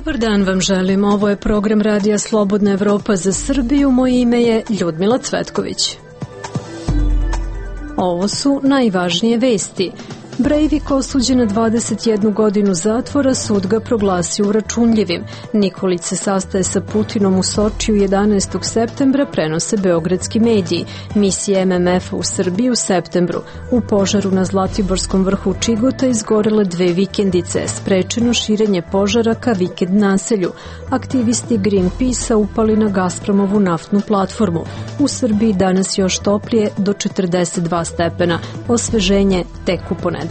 Dobar dan vam želim. Ovo je program Radija Slobodna Evropa za Srbiju. Moje ime je Ljudmila Cvetković. Ovo su najvažnije vesti. Breivik osuđen na 21 godinu zatvora, sud ga proglasio uračunljivim. Nikolić se sastaje sa Putinom u Sočiju 11. septembra, prenose beogradski mediji. Misija MMF-a u Srbiji u septembru. U požaru na Zlatiborskom vrhu Čigota izgorele 2 vikendice. Sprečeno širenje požara ka vikend naselju. Aktivisti Greenpeace-a upali na Gazpromovu naftnu platformu. U Srbiji danas još toplije do 42 stepena. Osveženje tek u ponedeljak.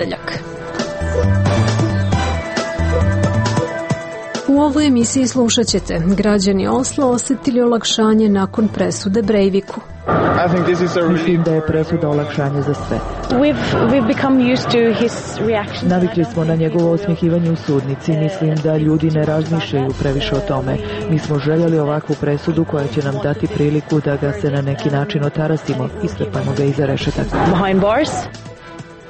U ovoj emisiji slušat ćete: građani Osla osetili olakšanje nakon presude Breiviku. Mislim da je presuda olakšanje za sve. Navikli smo na njegovo osmjehivanje u sudnici. Mislim da ljudi ne razmišljaju previše o tome. Mi smo željeli ovakvu presudu koja će nam dati priliku da ga se na neki način otarasimo i strpamo ga iza rešetaka.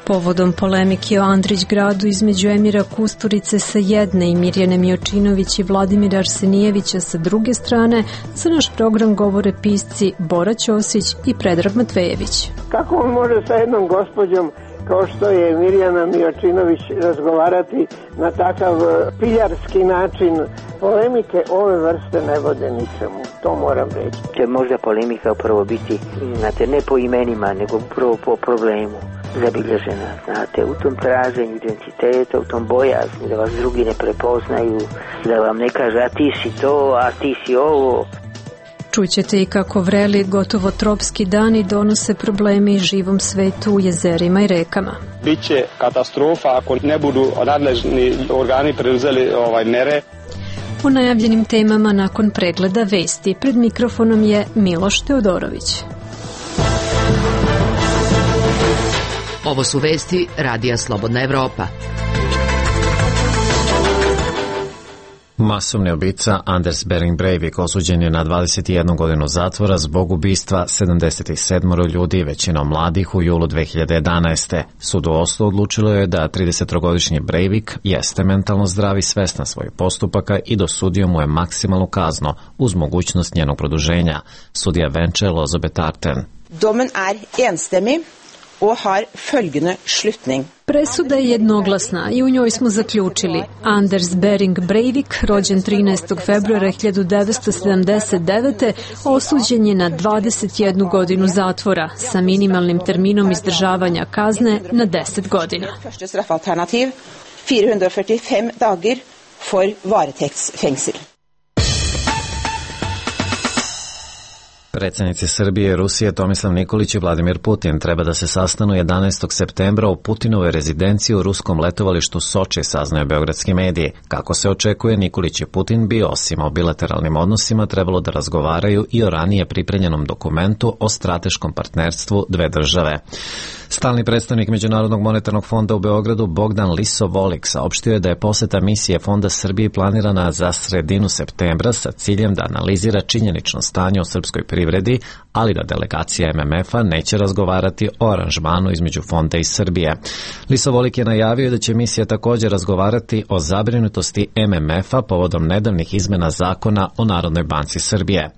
Povodom polemike o Andrić gradu između Emira Kusturice sa jedne i Mirjane Miočinović i Vladimira Arsenijevića sa druge strane, za naš program govore pisci Bora Ćosić i Predrag Matvejević. Kako on može sa jednom gospođom kao što je Mirjana Miočinović razgovarati na takav piljarski način? Polemike ove vrste ne vode ničemu, to moram reći. Će možda polemika upravo biti, znate, ne po imenima, nego upravo po problemu zabilježena, znate, u tom traženju identiteta, u tom bojazni da vas drugi ne prepoznaju, da vam ne kaže a ti si to, a ti si ovo. Čućete i kako vreli gotovo tropski dani donose probleme i živom svetu u jezerima i rekama. Biće katastrofa ako ne budu nadležni organi preuzeli mere. O najavljenim temama nakon pregleda vesti. Pred mikrofonom je Miloš Teodorović. Ovo su vesti Radija Slobodna Evropa. Masovni ubica Anders Behring Breivik osuđen je na 21 godinu zatvora zbog ubistva 77 ljudi, većinom mladih, u julu 2011. Sud u Oslu odlučilo je da 30-godišnji Breivik jeste mentalno zdrav i svestan svojih postupaka i dosudio mu je maksimalnu kaznu uz mogućnost njenog produženja. Sudija Vence Lozobetarten. Domen enstemmig og har følgende slutning. Presuda je jednoglasna i u njoj smo zaključili: Anders Behring Breivik, rođen 13. februara 1979. osuđen je na 21 godinu zatvora sa minimalnim terminom izdržavanja kazne na 10 godina. Første straffalternativ 445 dager for varetektsfengsel. Predsjednici Srbije, Rusije Tomislav Nikolić i Vladimir Putin treba da se sastanu 11. septembra u Putinovoj rezidenciji u ruskom letovalištu Soči, saznaju beogradski mediji. Kako se očekuje, Nikolić i Putin bi, osim o bilateralnim odnosima, trebalo da razgovaraju i o ranije pripremljenom dokumentu o strateškom partnerstvu dve države. Stalni predstavnik Međunarodnog monetarnog fonda u Beogradu Bogdan Lisovolik saopštio je da je poseta misije Fonda Srbiji planirana za sredinu septembra sa ciljem da analizira činjenično stanje u srpskoj privredi, ali da delegacija MMF-a neće razgovarati o aranžmanu između Fonda i Srbije. Lisovolik je najavio da će misija također razgovarati o zabrinutosti MMF-a povodom nedavnih izmena zakona o Narodnoj banci Srbije.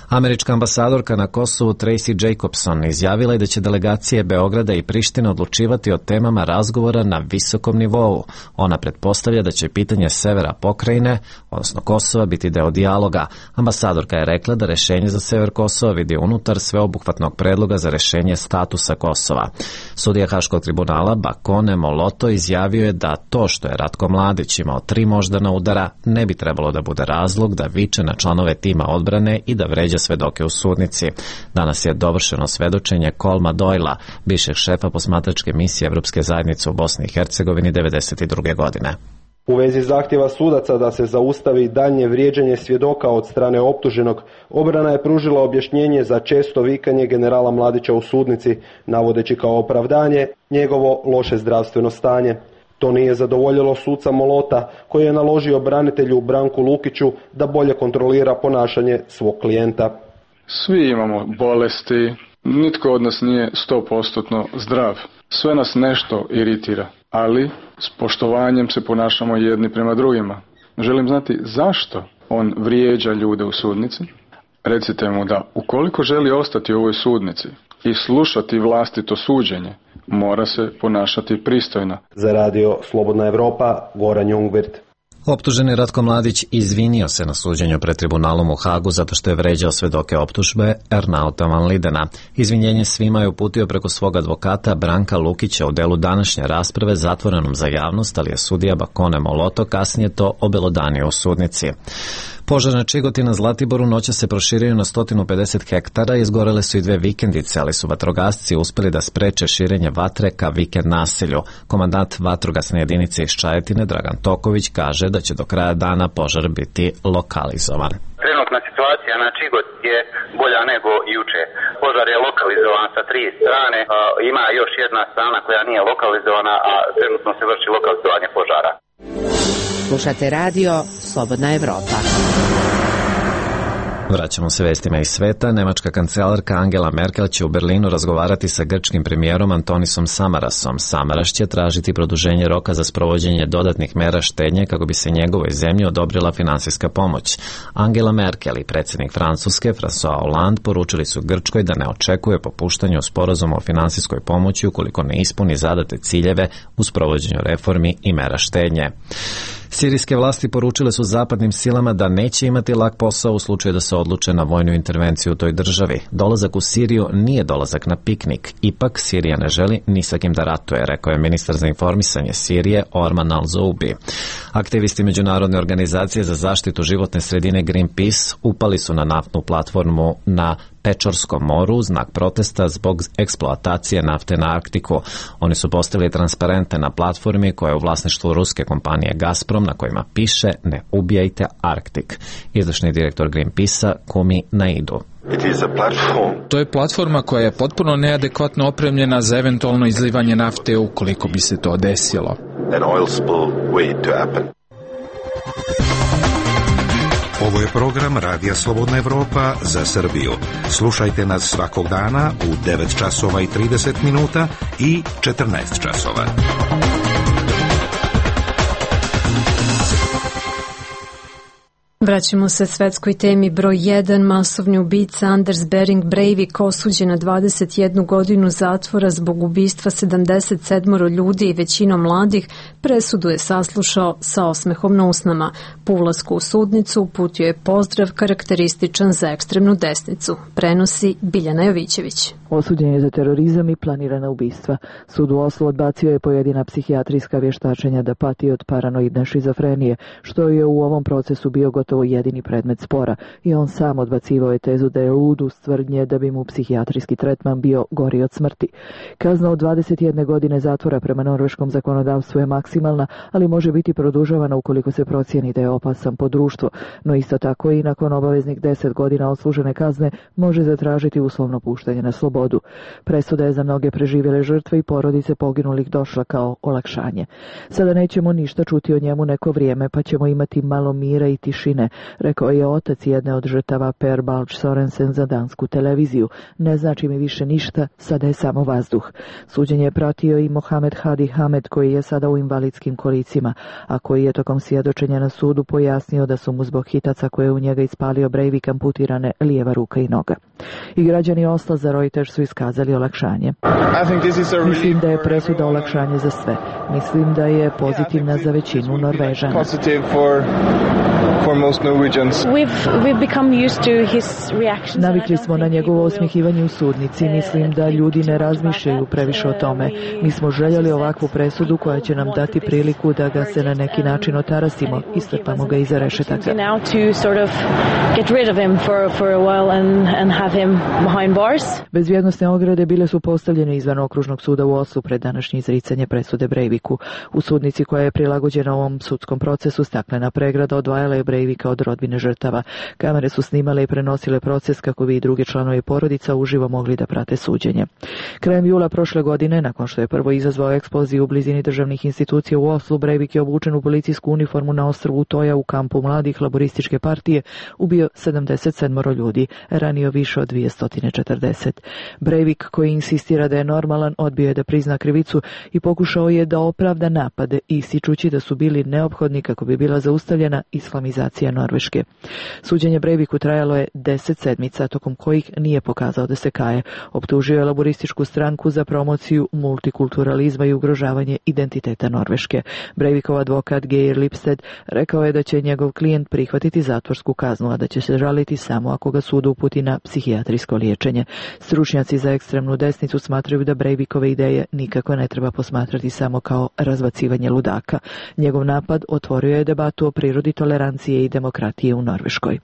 Američka ambasadorka na Kosovu Tracy Jacobson izjavila je da će delegacije Beograda i Prištine odlučivati o temama razgovora na visokom nivou. Ona pretpostavlja da će pitanje severa pokrajine, odnosno Kosova, biti deo dijaloga. Ambasadorka je rekla da rešenje za sever Kosova vidi unutar sveobuhvatnog predloga za rešenje statusa Kosova. Sudija Haškog tribunala Bakone Moloto izjavio je da to što je Ratko Mladić imao 3 moždana udara ne bi trebalo da bude razlog da viče na članove tima odbrane i da vređa svedoke u sudnici. Danas je dovršeno svedočenje Kolma Doyla, bivšeg šefa posmatračke misije Evropske zajednice u Bosni i Hercegovini 1992. godine. U vezi zahtjeva sudaca da se zaustavi daljnje vrijeđanje svjedoka od strane optuženog, obrana je pružila objašnjenje za često vikanje generala Mladića u sudnici, navodeći kao opravdanje njegovo loše zdravstveno stanje. To nije zadovoljilo suca Molota, koji je naložio branitelju Branku Lukiću da bolje kontrolira ponašanje svog klijenta. Svi imamo bolesti, nitko od nas nije 100% zdrav. Sve nas nešto iritira, ali s poštovanjem se ponašamo jedni prema drugima. Želim znati zašto on vrijeđa ljude u sudnici. Recite mu da ukoliko želi ostati u ovoj sudnici i slušati vlastito suđenje, mora se ponašati pristojno. Za radio Slobodna Evropa, Goran Jungwirth. Optuženi Ratko Mladić izvinio se na suđenju pred tribunalom u Hagu zato što je vređao svedoke optužbe Ernauta van Lidena. Izvinjenje svima je uputio preko svog advokata Branka Lukića u delu današnje rasprave zatvorenom za javnost, ali je sudija Bakone Moloto kasnije to obelodanio u sudnici. Požar na Čigoti na Zlatiboru noća se proširio na 150 hektara, izgorele su i 2 vikendice, ali su vatrogasci uspeli da spreče širenje vatre ka vikend naselju. Komandant vatrogasne jedinice iz Čajetine, Dragan Toković, kaže da će do kraja dana požar biti lokalizovan. Trenutna situacija na Čigot je bolja nego juče. Požar je lokalizovan sa 3 strane, ima još jedna strana koja nije lokalizovana, a trenutno se vrši lokalizovanje požara. Slušate radio Slobodna Evropa. Vraćamo se vestima iz sveta. Nemačka kancelarka Angela Merkel će u Berlinu razgovarati sa grčkim premijerom Antonisom Samarasom. Samaras će tražiti produženje roka za sprovođenje dodatnih mera štednje kako bi se njegovoj zemlji odobrila finansijska pomoć. Angela Merkel i predsjednik Francuske François Hollande poručili su Grčkoj da ne očekuje popuštanje u sporazumu o finansijskoj pomoći ukoliko ne ispuni zadate ciljeve u sprovođenju reformi i mera štednje. Sirijske vlasti poručile su zapadnim silama da neće imati lak posao u slučaju da se odluče na vojnu intervenciju u toj državi. Dolazak u Siriju nije dolazak na piknik. Ipak Sirija ne želi ni sa kim da ratuje, rekao je ministar za informisanje Sirije Orman al-Zoubi. Aktivisti Međunarodne organizacije za zaštitu životne sredine Greenpeace upali su na naftnu platformu na Pečorskom moru u znak protesta zbog eksploatacije nafte na Arktiku. Oni su postavili transparente na platformi koja je u vlasništvu ruske kompanije Gazprom na kojima piše "Ne ubijajte Arktik". Izvršni direktor Greenpeace-a Kumi Naidu. To je platforma koja je potpuno neadekvatno opremljena za eventualno izlivanje nafte ukoliko bi se to desilo. Ovo je program Radija Slobodna Evropa za Srbiju. Slušajte nas svakog dana u 9 časova i 30 minuta i 14 časova. Vraćamo se svetskoj temi broj 1. Masovni ubica Anders Behring Breivik osuđen na 21 godinu zatvora zbog ubistva 77 ljudi i većinom mladih, presudu je saslušao sa osmehom na usnama. Po ulasku u sudnicu uputio je pozdrav karakterističan za ekstremnu desnicu. Prenosi Biljana Jovićević. Osuđen je za terorizam i planirana ubistva. Sud u Oslu odbacio je pojedina psihijatrijska vještačenja da pati od paranoidne šizofrenije, što je u ovom procesu bio gotovo jedini predmet spora, i on sam odbacivao je tezu da je lud uz tvrdnje da bi mu psihijatrijski tretman bio gori od smrti. Kazna od 21 godine zatvora prema norveškom zakonodavstvu je maksimalna, ali može biti produžavana ukoliko se procijeni da je opasan po društvo, no isto tako i nakon obaveznih 10 godina odslužene kazne može zatražiti uslovno puštanje na slobodu. Presuda je za mnoge preživjele žrtve i porodice poginulih došla kao olakšanje. Sada nećemo ništa čuti o njemu neko vrijeme, pa ćemo imati malo mira i tišine, rekao je otac jedne od žrtava Per Balch Sorensen za dansku televiziju. Ne znači mi više ništa, sada je samo vazduh. Suđenje je pratio i Mohamed Hadi Hamed, koji je sada u invalidskim kolicima, a koji je tokom svjedočenja na sudu pojasnio da su mu zbog hitaca koje je u njega ispalio Breivik amputirane lijeva ruka i noga. I građani Osla za Reuters su iskazali olakšanje. Mislim da je presuda olakšanje za sve. Mislim da je pozitivna za većinu Norvežana. Navikli smo na njegovo osmjehivanje u sudnici. Mislim da ljudi ne razmišljaju previše o tome. Mi smo željeli ovakvu presudu koja će nam dati priliku da ga se na neki način otarasimo i strpamo ga iza rešetaka. Bezbjednosne ograde bile su postavljene izvan okružnog suda u Oslu pred današnje izricanje presude Breiviku. U sudnici koja je prilagođena ovom sudskom procesu staklena pregrada odvajala je Breivika od rodbine žrtava. Kamere su snimale i prenosile proces kako bi i drugi članovi porodica uživo mogli da prate suđenje. Krajem jula prošle godine, nakon što je prvo izazvao eksploziju u blizini državnih institucija revolucije u Oslu, Breivik je obučen u policijsku uniformu na ostrvu Utoja u kampu mladih laborističke partije ubio 77 ljudi, ranio više od 240. Breivik, koji insistira da je normalan, odbio je da prizna krivicu i pokušao je da opravda napade, ističući da su bili neophodni kako bi bila zaustavljena islamizacija Norveške. Suđenje Breiviku trajalo je 10 sedmica, tokom kojih nije pokazao da se kaje. Optužio je laborističku stranku za promociju multikulturalizma i ugrožavanje identiteta Norveške. Breivikov advokat Geir Lipsted rekao je da će njegov klijent prihvatiti zatvorsku kaznu, a da će se žaliti samo ako ga sud uputi na psihijatrijsko liječenje. Stručnjaci za ekstremnu desnicu smatraju da Breivikove ideje nikako ne treba posmatrati samo kao razbacivanje ludaka. Njegov napad otvorio je debatu o prirodi tolerancije i demokratije u Norveškoj.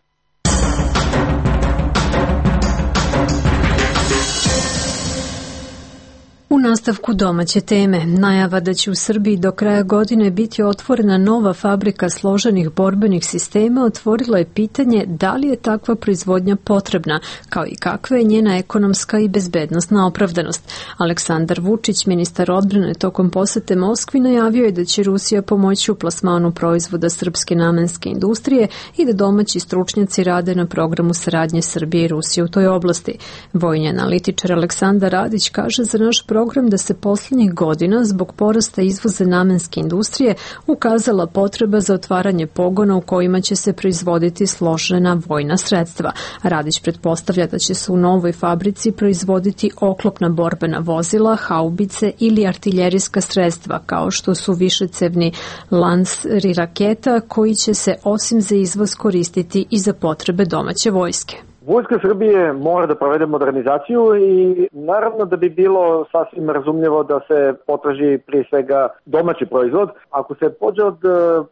U nastavku domaće teme, najava da će u Srbiji do kraja godine biti otvorena nova fabrika složenih borbenih sistema otvorilo je pitanje da li je takva proizvodnja potrebna, kao i kakva je njena ekonomska i bezbednosna opravdanost. Aleksandar Vučić, ministar odbrane, tokom posete Moskvi najavio je da će Rusija pomoći u plasmanu proizvoda srpske namenske industrije i da domaći stručnjaci rade na programu saradnje Srbije i Rusije u toj oblasti. Vojni analitičar Aleksandar Radić kaže za naš program da se posljednjih godina zbog porasta izvoza namenske industrije ukazala potreba za otvaranje pogona u kojima će se proizvoditi složena vojna sredstva. Radić pretpostavlja da će se u novoj fabrici proizvoditi oklopna borbena vozila, haubice ili artiljerijska sredstva, kao što su višecevni lanseri raketa koji će se osim za izvoz koristiti i za potrebe domaće vojske. Vojska Srbije mora da provede modernizaciju i naravno da bi bilo sasvim razumljivo da se potraži prije svega domaći proizvod. Ako se pođe od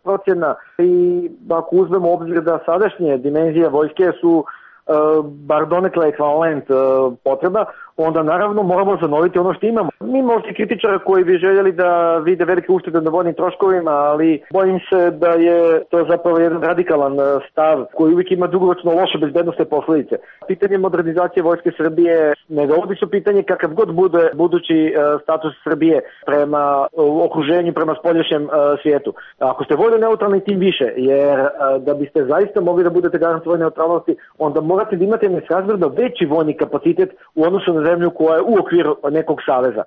procjena i ako uzmemo u obzir da sadašnje dimenzije vojske su bar donekle ekvivalent potreba, onda naravno moramo zanoviti ono što imamo. Mi možda kritičara koji bi željeli da vide velike uštede na vojnim troškovima, ali bojim se da je to zapravo jedan radikalan stav koji uvijek ima dugoročno loše bezbednosne posljedice. Pitanje modernizacije Vojske Srbije ne dovodi se pitanje kakav god bude budući status Srbije prema okruženju, prema spoljašnjem svijetu. Ako ste vojno neutralni, tim više, jer da biste zaista mogli da budete garant vojne neutralnosti, onda morate da imate nesrazmjerno veći vojni kapacitet u odnosu na zemlju koja je u okviru nekog saveza.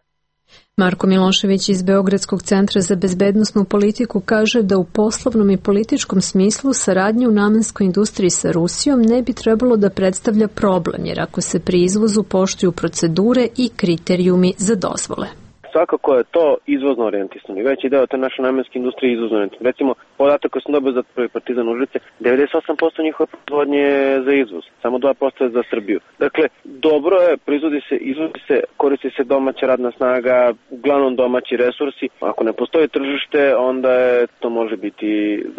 Marko Milošević iz Beogradskog centra za bezbednosnu politiku kaže da u poslovnom i političkom smislu saradnja u namenskoj industriji sa Rusijom ne bi trebalo da predstavlja problem, jer ako se pri izvozu poštuju procedure i kriterijumi za dozvole. Svakako je to izvozno orijentisano i veći deo te naše namenske industrije izvozno orijentisano. Recimo, podatak koji sam dobio za prvi Partizan Užice, 98% njihove proizvodnje je za izvoz, samo 2% je za Srbiju. Dakle, dobro je, proizvodi se, izvozi se, koristi se domaća radna snaga, uglavnom domaći resursi. Ako ne postoji tržište, onda to može biti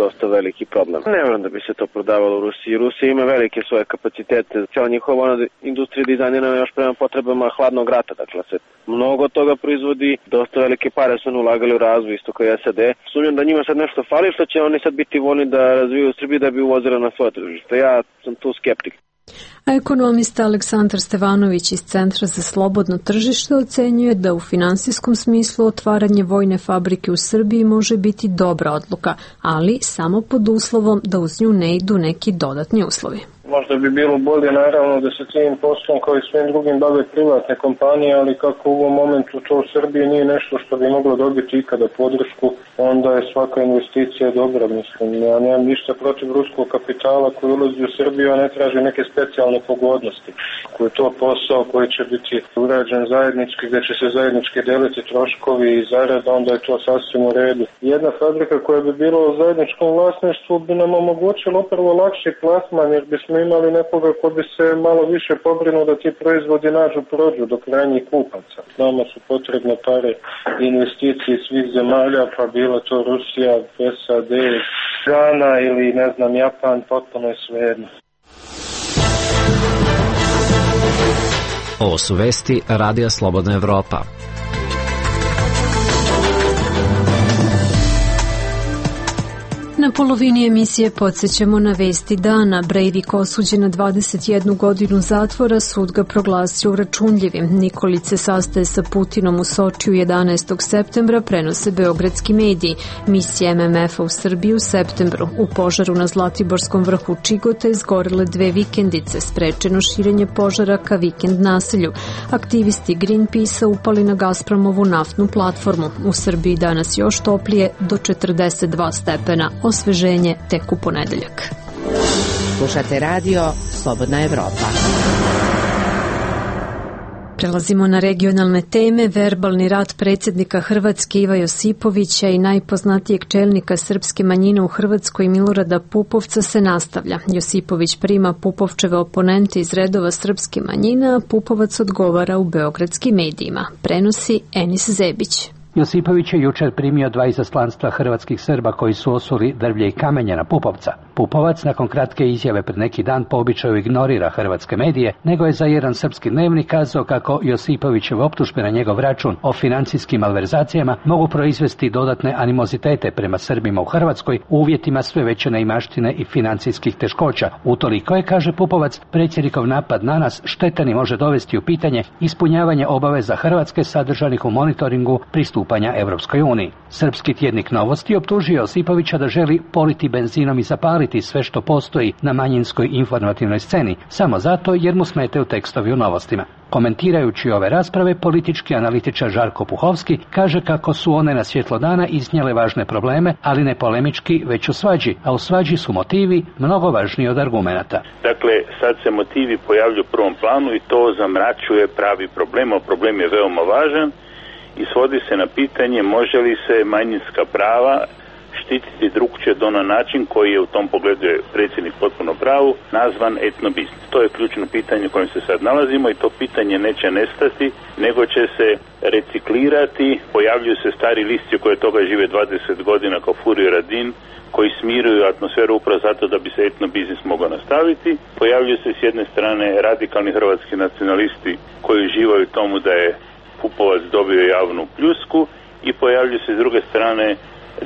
dosta veliki problem. Ne vjerujem da bi se to prodavalo u Rusiji. Rusija ima velike svoje kapacitete. Cijela njihova industrija dizajnirana još prema potrebama hladnog rata. Dakle, se mnogo toga proizvodi. Dosta velike pare su ulagali u razvoj, isto kao i SAD. Sumnjam da njima sad nešto fali, što će oni sad biti voljni da razviju Srbiju da bi uvozili na svoje tržište. Ja sam tu skeptik. A ekonomista Aleksandar Stevanović iz Centra za slobodno tržište ocenjuje da u finansijskom smislu otvaranje vojne fabrike u Srbiji može biti dobra odluka, ali samo pod uslovom da uz nju ne idu neki dodatni uslovi. Možda bi bilo bolje naravno da se tim poslom kao i svim drugim bave privatne kompanije, ali kako u ovom momentu to u Srbiji nije nešto što bi moglo dobiti ikada podršku, onda je svaka investicija dobra, mislim. Ja nemam ništa protiv ruskog kapitala koji ulazi u Srbiju, a ne traži neke specijalne pogodnosti. Ako je to posao koji će biti urađen zajednički, gdje će se zajednički deliti troškovi i zarada, onda je to sasvim u redu. Jedna fabrika koja bi bila u zajedničkom vlasništvu bi nam omogućila upravo lakši plasman, jer bismo imali nekoga ko bi se malo više pobrinuo da ti proizvodi prođu do krajnjih kupaca. Nama su potrebne pare investicije svih zemalja, pa bila to Rusija, SAD, Gana ili ne znam Japan, potpuno je svejedno. Ovo su vesti Radija Slobodna Evropa. Na polovini emisije podsjećamo na vesti dana. Breivik osuđen na 21 godinu zatvora, sud ga proglasio uračunljivim. Nikolić se sastaje sa Putinom u Sočiju 11. septembra, prenose beogradski mediji. Misija MMF-a u Srbiji u septembru. U požaru na Zlatiborskom vrhu Čigota izgorele 2 vikendice, sprečeno širenje požara ka vikend naselju. Aktivisti Greenpeace-a upali na Gazpromovu naftnu platformu. U Srbiji danas još toplije, do 42 stepena. Osveženje tek u ponedeljak. Slušate radio Slobodna Evropa. Prelazimo na regionalne teme. Verbalni rat predsjednika Hrvatske Iva Josipovića i najpoznatijeg čelnika srpske manjine u Hrvatskoj Milorada Pupovca se nastavlja. Josipović prima Pupovčeve oponente iz redova srpske manjine, a Pupovac odgovara u beogradskim medijima. Prenosi Enis Zebić. Josipović je jučer primio 2 izaslanstva hrvatskih Srba koji su osuli drvlje i kamenje na Pupovca. Pupovac nakon kratke izjave pred neki dan po običaju ignorira hrvatske medije, nego je za jedan srpski dnevnik kazao kako Josipovićeve optužbe na njegov račun o financijskim malverzacijama mogu proizvesti dodatne animozitete prema Srbima u Hrvatskoj u uvjetima sve veće neimaštine i financijskih teškoća. Utoliko je, kaže Pupovac, predsjednikov napad na nas štetan i može dovesti u pitanje ispunjavanje obaveza Hrvatske sadržanih u monitoringu pristupanja Evropskoj uniji. Srpski tjednik Novosti optužio Josipovića da želi politi benzinom i zapaliti sve što postoji na manjinskoj informativnoj sceni, samo zato jer mu smetaju tekstovi u Novostima. Komentirajući ove rasprave, politički analitičar Žarko Puhovski kaže kako su one na svjetlo dana iznijele važne probleme, ali ne polemički, već u svađi, a u svađi su motivi mnogo važniji od argumenata. Dakle, sad se motivi pojavljuju u prvom planu i to zamračuje pravi problem, a problem je veoma važan i svodi se na pitanje može li se manjinska prava štititi drugčije na način koji je u tom pogledu je predsjednik potpuno pravu nazvan etnobiznis. To je ključno pitanje u kojem se sad nalazimo i to pitanje neće nestati, nego će se reciklirati. Pojavljuju se stari listi koji toga žive 20 godina kao Furio Radin, koji smiruju atmosferu upravo zato da bi se etnobiznis mogao nastaviti. Pojavljuju se s jedne strane radikalni hrvatski nacionalisti koji uživaju tomu da je Pupovac dobio javnu pljusku i pojavljuju se s druge strane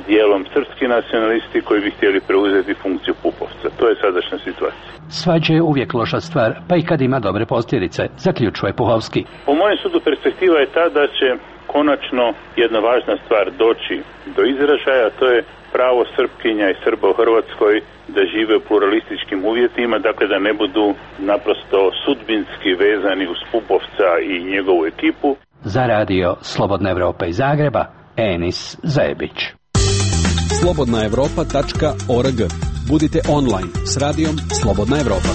dijelom srpski nacionalisti koji bi htjeli preuzeti funkciju Pupovca. To je sadašnja situacija. Svađa je uvijek loša stvar, pa i kad ima dobre posljedice, zaključuje Puhovski. Po mojem sudu perspektiva je ta da će konačno jedna važna stvar doći do izražaja, to je pravo Srpkinja i Srba u Hrvatskoj da žive u pluralističkim uvjetima, dakle da ne budu naprosto sudbinski vezani uz Pupovca i njegovu ekipu. Za radio Slobodna Evropa iz Zagreba, Enis Zebić. slobodnaevropa.org. Budite online s radijom Slobodna Evropa.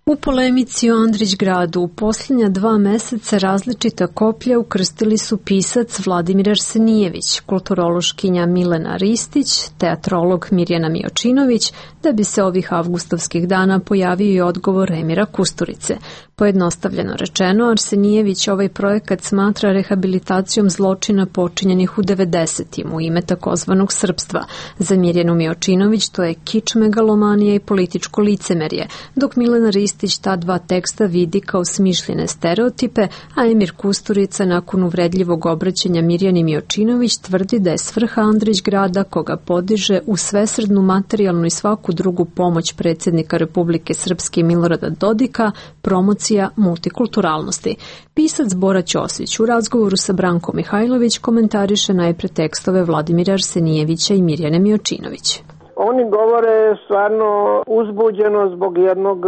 U polemici o Andrićgradu u posljednja 2 meseca različita koplja ukrstili su pisac Vladimir Arsenijević, kulturološkinja Milena Ristić, teatrolog Mirjana Miočinović, da bi se ovih avgustovskih dana pojavio i odgovor Emira Kusturice. Pojednostavljeno rečeno, Arsenijević ovaj projekat smatra rehabilitacijom zločina počinjenih u 90-im u ime takozvanog srpstva. Za Mirjanu Miočinović to je kič, megalomanija i političko licemerje, dok Milena Ristić ta 2 teksta vidi kao smišljene stereotipe, a Emir Kusturica nakon uvredljivog obraćanja Mirjani Miočinović tvrdi da je svrha Andrićgrada, koga podiže u svesrdnu materijalnu i svaku drugu pomoć predsjednika Republike Srpske Milorada Dodika, promocija multikulturalnosti. Pisac Bora Ćosić u razgovoru sa Brankom Mihajlović komentariše najpre tekstove Vladimira Arsenijevića i Mirjane Miočinović. Oni govore stvarno uzbuđeno zbog jednog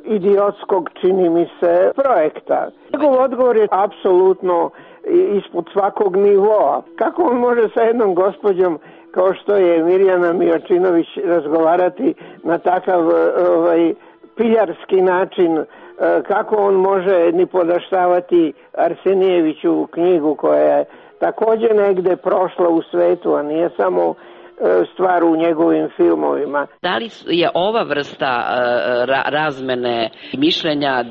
idiotskog, čini mi se, projekta. Njegov odgovor je apsolutno ispod svakog nivoa. Kako on može sa jednom gospođom kao što je Mirjana Miočinović razgovarati na takav piljarski način, kako on može ni podaštavati Arsenijeviću knjigu koja je također negde prošla u svetu, a nije samo stvar u njegovim filmovima. Da li je ova vrsta razmene mišljenja,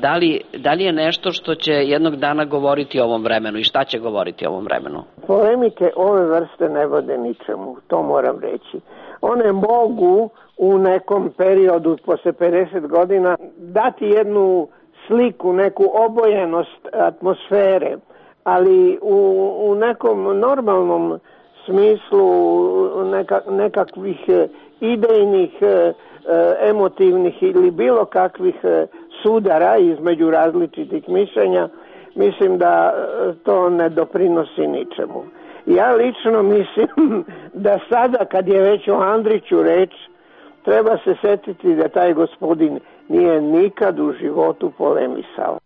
da li je nešto što će jednog dana govoriti o ovom vremenu i šta će govoriti o ovom vremenu? Polemike ove vrste ne vode ničemu, to moram reći. One mogu u nekom periodu posle 50 godina dati jednu sliku, neku obojenost atmosfere, ali u nekom normalnom smislu nekakvih idejnih, emotivnih ili bilo kakvih sudara između različitih mišljenja, mislim da to ne doprinosi ničemu. Ja lično mislim da sada kad je već o Andriću reč, treba se setiti da taj gospodin nije nikad u životu polemisao.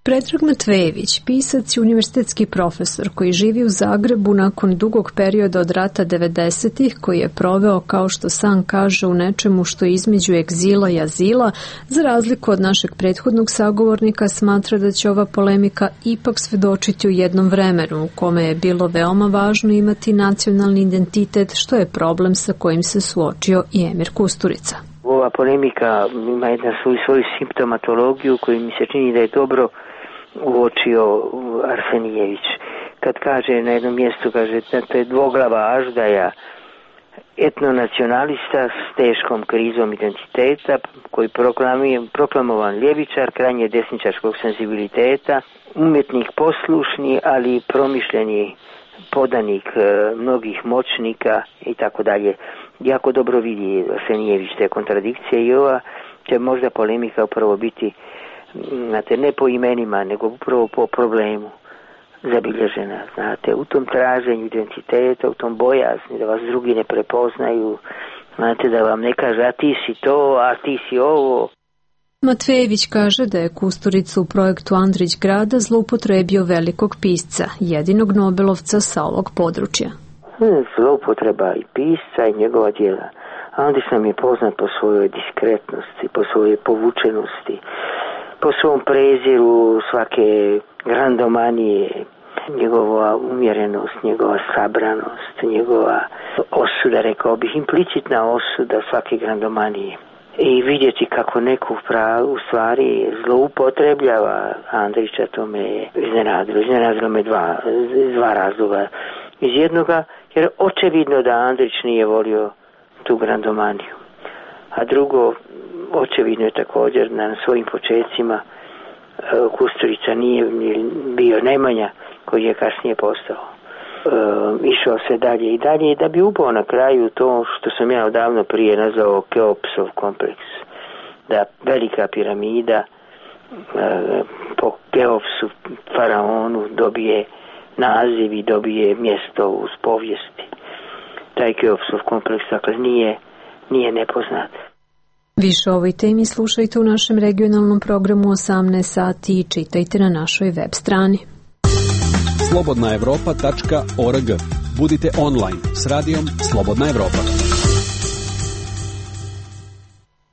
Predrag Matvejević, pisac i univerzitetski profesor koji živi u Zagrebu nakon dugog perioda od rata 90-ih, koji je proveo, kao što sam kaže, u nečemu što je između egzila i azila, za razliku od našeg prethodnog sagovornika, smatra da će ova polemika ipak svedočiti u jednom vremenu u kome je bilo veoma važno imati nacionalni identitet, što je problem sa kojim se suočio i Emir Kusturica. Ova polemika ima jednu svoju simptomatologiju koju mi se čini da je dobro uočio Arsenijević. Kad kaže na jednom mjestu, kaže da to je dvoglava aždaja, etnonacionalista s teškom krizom identiteta, koji proklamovan ljevičar, krajnje desničarskog senzibiliteta, umjetnik poslušni, ali promišljeni podanik mnogih moćnika i tako dalje. Jako dobro vidi Arsenijević te kontradikcije i ova će možda polemika upravo biti, znate, ne po imenima, nego upravo po problemu zabilježena, znate, u tom traženju identiteta, u tom bojazni da vas drugi ne prepoznaju, znate, da vam ne kaže a ti si to, a ti si ovo. Matvejević kaže da je Kusturica u projektu Andrić grada zloupotrebio velikog pisca, jedinog Nobelovca sa ovog područja. Zloupotreba i pisca i njegova djela. Andrić nam je poznat po svojoj diskretnosti, po svojoj povučenosti, po svom preziru svake grandomanije, njegova umjerenost, njegova sabranost, njegova osuda, rekao bih, implicitna osuda svake grandomanije. I vidjeti kako neko u stvari zloupotrebljava Andrića, to me je iznenadilo. Iznenadilo me dva razloga. Iz jednoga, jer očevidno da Andrić nije volio tu grandomaniju. A drugo, očevidno je također na svojim počecima Kusturica nije bio Nemanja, koji je kasnije postao. Išao se dalje i dalje da bi upao na kraju to što sam ja odavno prije nazvao Keopsov kompleks. Da velika piramida po Keopsu, faraonu, dobije naziv i dobije mjesto uz povijesti. Taj Keopsov kompleks, dakle, nije nepoznat. Više o ovoj temi slušajte u našem regionalnom programu 18 sati i čitajte na našoj web strani. slobodnaevropa.org. Budite online s radijom Slobodna Evropa.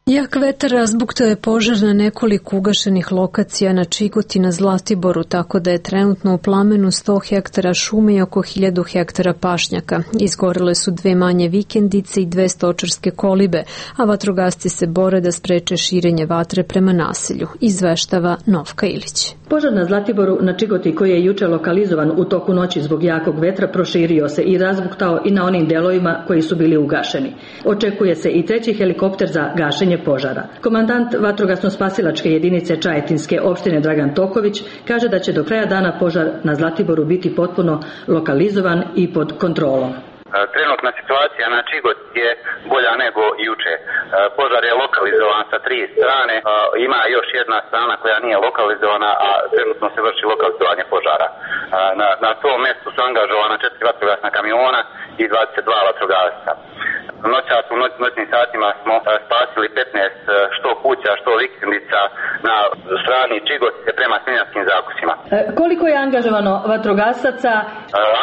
Jak vetar razbuktao je požar na nekoliko ugašenih lokacija na Čigoti na Zlatiboru, tako da je trenutno u plamenu 100 hektara šume i oko 1000 hektara pašnjaka. Izgorele su 2 manje vikendice i 2 stočarske kolibe, a vatrogasci se bore da spreče širenje vatre prema naselju, izveštava Novka Ilić. Požar na Zlatiboru na Čigoti, koji je juče lokalizovan u toku noći zbog jakog vetra, proširio se i razbuktao i na onim delovima koji su bili ugašeni. Očekuje se i 3. helikopter za gašenje požara. Komandant vatrogasno-spasilačke jedinice Čajetinske opštine Dragan Toković kaže da će do kraja dana požar na Zlatiboru biti potpuno lokalizovan i pod kontrolom. Trenutna situacija na Čigot je bolja nego juče. Požar je lokalizovan sa 3 strane, ima još jedna strana koja nije lokalizovana, a trenutno se vrši lokalizovanje požara. Na tom mjestu su angažovana 4 vatrogasna kamiona i 22 vatrogasca. Noćas u noćnim satima smo spasili 15 što kuća, što vikendica na strani Čigotice prema Smiljanskim zakusima. Koliko je angažovano vatrogasaca?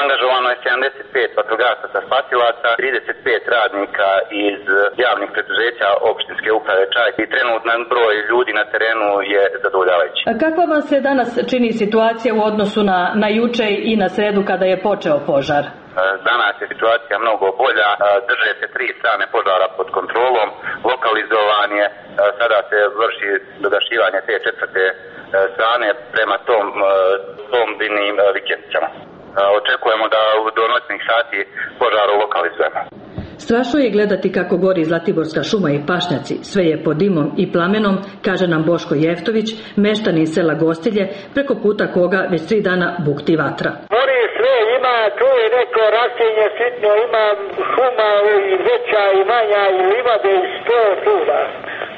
Angažovano je 75 vatrogasaca spasilaca, 35 radnika iz javnih preduzeća opštinske uprave Čaj i trenutno broj ljudi na terenu je zadovoljavajući. Kakva vam se danas čini situacija u odnosu na juče i na sredu kada je počeo požar? Danas je situacija mnogo bolja, drže se 3 strane požara pod kontrolom, lokalizovan je, sada se vrši dogašivanje te 4. strane prema tom binim vikendicama. Očekujemo da do noćnih sati požaru lokalizujemo. Strašno je gledati kako gori Zlatiborska šuma i pašnjaci, sve je pod dimom i plamenom, kaže nam Boško Jeftović, meštanin sela Gostilje, preko puta koga već 3 dana bukti vatra. Gori sve, ima tu je neko rastinje sitno, ima šuma i veća i manja i livade i 100 čuda.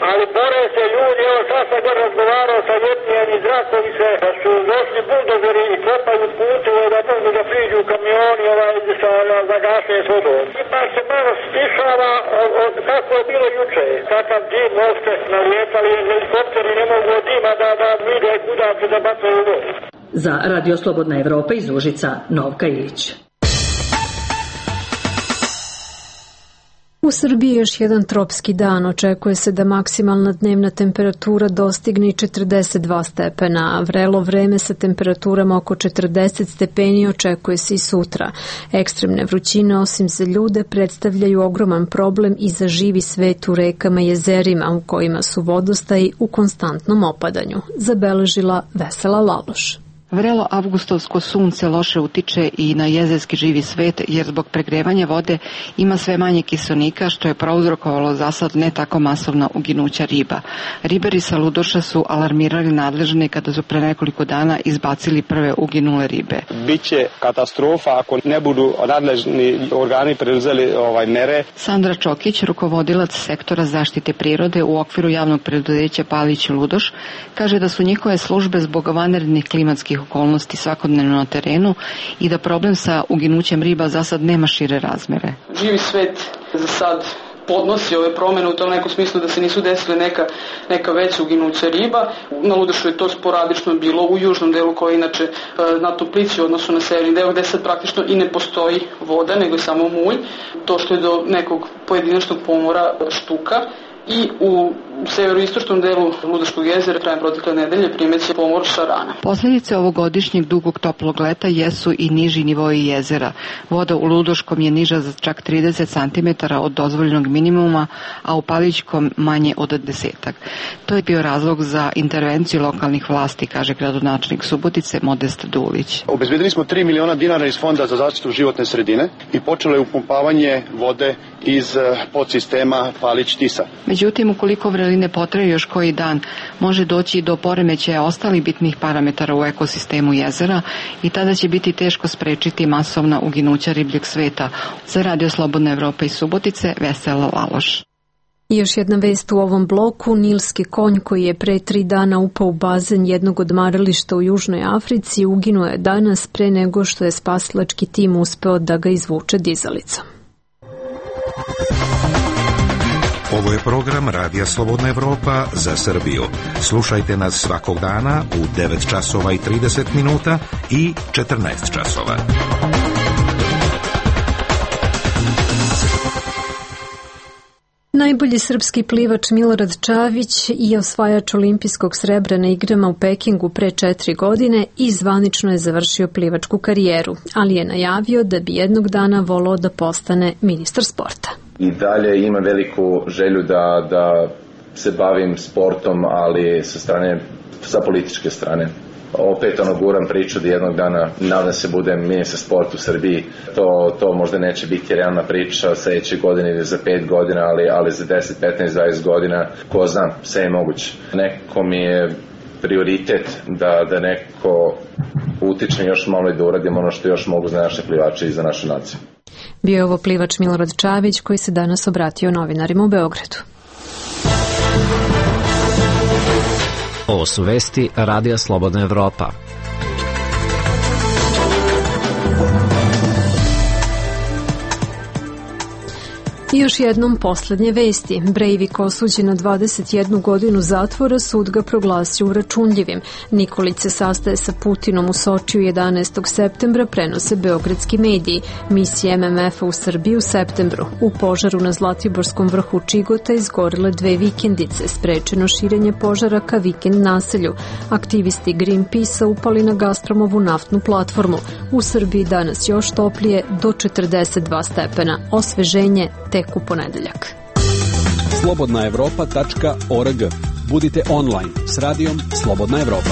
Ali bore se ljudi, evo sad sam god razgovarao sa jednijem iz Rakovice, da su došli buldozeri i kopaju puteve da mogu da priđu kamioni za gašenje s vodom. Ima se malo stišava kako je bilo juče. Takav dim uopšte nalijetali, helikopteri ne mogu od dima da vide kuda se da bacaju vodu. Za Radio Slobodna Evropa iz Užica, Novka Ilić. U Srbiji još jedan tropski dan. Očekuje se da maksimalna dnevna temperatura dostigne 42 stepena, a vrelo vreme sa temperaturama oko 40 stepeni očekuje se i sutra. Ekstremne vrućine, osim za ljude, predstavljaju ogroman problem i za živi svet u rekama i jezerima u kojima su vodostaji u konstantnom opadanju, zabeležila Vesela Laloš. Vrelo avgustovsko sunce loše utiče i na jezerski živi svet, jer zbog pregrevanja vode ima sve manje kiselnika, što je prouzrokovalo zasad ne tako masovna uginuća riba. Ribari sa Ludoša su alarmirali nadležne kada su pre nekoliko dana izbacili prve uginule ribe. Biće katastrofa ako ne budu nadležni organi preuzeli mere. Sandra Čokić, rukovodilac sektora zaštite prirode u okviru javnog preduzeća Palić Ludoš, kaže da su njihove službe zbog vanrednih klimatskih okolnosti svakodnevno na terenu i da problem sa uginućem riba za sad nema šire razmere. Živi svet za sad podnosi ove promene u tom nekom smislu da se nisu desile neka veća uginuća riba. Na Ludošu je to sporadično bilo u južnom delu koji je inače znatno plići u odnosu na severni deo gde sad praktično i ne postoji voda nego je samo mulj. To što je do nekog pojedinačnog pomora štuka. I u severoistočnom delu Ludoškog jezera krajem protekle nedelje primeće pomor šarana. Posljedice ovogodišnjeg dugog toplog leta jesu i niži nivoji jezera. Voda u Ludoškom je niža za čak 30 cm od dozvoljenog minimuma, a u Palićkom manje od 10. To je bio razlog za intervenciju lokalnih vlasti, kaže gradonačelnik Subotice Modest Dulić. Obezbedili smo 3 miliona dinara iz Fonda za zaštitu životne sredine i počelo je upumpavanje vode iz podsistema Palić-Tisa. Međutim, ukoliko vreline potraju još koji dan, može doći do poremećaja ostalih bitnih parametara u ekosistemu jezera i tada će biti teško sprečiti masovna uginuća ribljeg sveta. Za Radio Slobodna Evropa iz Subotice, Vesela Laloš. I još jedna vest u ovom bloku. Nilski konj koji je pre 3 dana upao u bazen jednog odmarališta u Južnoj Africi uginuo je danas pre nego što je spasilački tim uspeo da ga izvuče dizalicom. Ovo je program Radija Slobodna Evropa za Srbiju. Slušajte nas svakog dana u 9 časova i 30 minuta i 14 časova. Najbolji srpski plivač Milorad Čavić i osvajač olimpijskog srebra na igrama u Pekingu pre 4 godine i zvanično je završio plivačku karijeru, ali je najavio da bi jednog dana voleo da postane ministar sporta. I dalje imam veliku želju da se bavim sportom, ali sa političke strane. Opet guram priču da jednog dana nadam se budem ministar sporta u Srbiji. To možda neće biti realna priča sljedeće godine ili za 5 godina, ali za 10, 15, 20 godina, ko zna, sve je moguće. Neko mi je prioritet da neko utiče još malo i da uradim ono što još mogu za naše plivače i za našu naciju. Bio je ovo plivač Milorad Čavić koji se danas obratio novinarima u Beogradu. Ovo su vesti Radija Slobodna Evropa. I još jednom poslednje vesti. Breivik osuđen na 21 godinu zatvora, sud ga proglasio uračunljivim. Nikolić se sastaje sa Putinom u Sočiju 11. septembra, prenose beogradski mediji. Misija MMF-a u Srbiji u septembru. U požaru na Zlatiborskom vrhu Čigota izgorele 2 vikendice. Sprečeno širenje požara ka vikend naselju. Aktivisti Greenpeace-a upali na Gazpromovu naftnu platformu. U Srbiji danas još toplije do 42 stepena. Osveženje tek u ponedeljak. slobodnaevropa.org. Budite online s radijom Slobodna Evropa.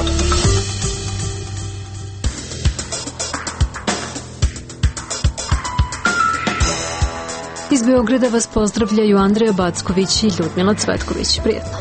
Iz Beograda vas pozdravljaju Andreja Backović i Ljudmila Cvetković. Prijetno.